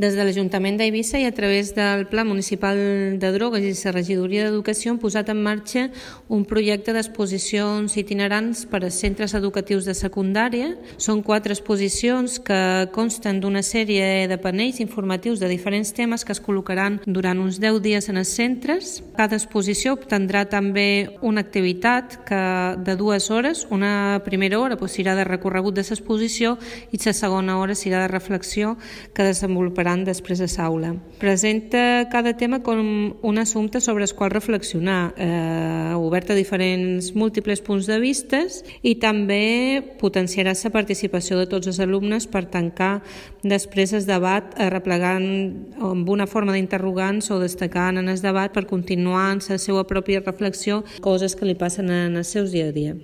Des de l'Ajuntament d'Eivissa i a través del Pla Municipal de Drogues i la Regidoria d'Educació han posat en marxa un projecte d'exposicions itinerants per a centres educatius de secundària. Són 4 exposicions que consten d'una sèrie de panells informatius de diferents temes que es col·locaran durant uns 10 dies en els centres. Cada exposició obtindrà també una activitat de 2 hores. Una primera hora serà de recorregut de l'exposició i la segona hora serà de reflexió que desenvoluparan després a l'aula. Presenta cada tema com un assumpte sobre el qual reflexionar, obert a diferents múltiples punts de vista, i també potenciarà la participació de tots els alumnes per tancar després el debat replegant amb una forma d'interrogants o destacant en el debat per continuar en la seva pròpia reflexió coses que li passen en el seu dia a dia.